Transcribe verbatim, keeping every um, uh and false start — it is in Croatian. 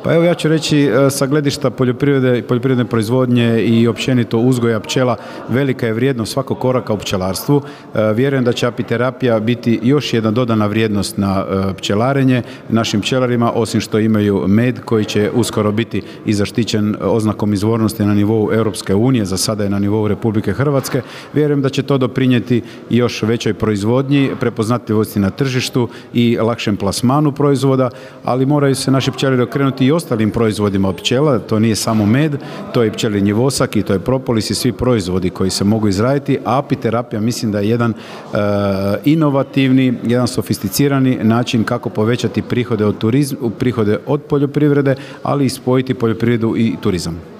Pa evo ja ću reći sa gledišta poljoprivrede i poljoprivredne proizvodnje i općenito uzgoja pčela velika je vrijednost svakog koraka u pčelarstvu. Vjerujem da će apiterapija biti još jedna dodana vrijednost na pčelarenje našim pčelarima, osim što imaju med koji će uskoro biti i zaštićen oznakom izvornosti na nivou Europske unije, za sada je na nivou Republike Hrvatske. Vjerujem da će to doprinijeti još većoj proizvodnji, prepoznatljivosti na tržištu i lakšem plasmanu proizvoda, ali moraju se naši pčelari okrenuti i ostalim proizvodima od pčela. To nije samo med, to je i pčelinji vosak i to je propolis i svi proizvodi koji se mogu izraditi, a apiterapija mislim da je jedan e, inovativni, jedan sofisticirani način kako povećati prihode od turizma, prihode od poljoprivrede, ali i spojiti poljoprivredu i turizam.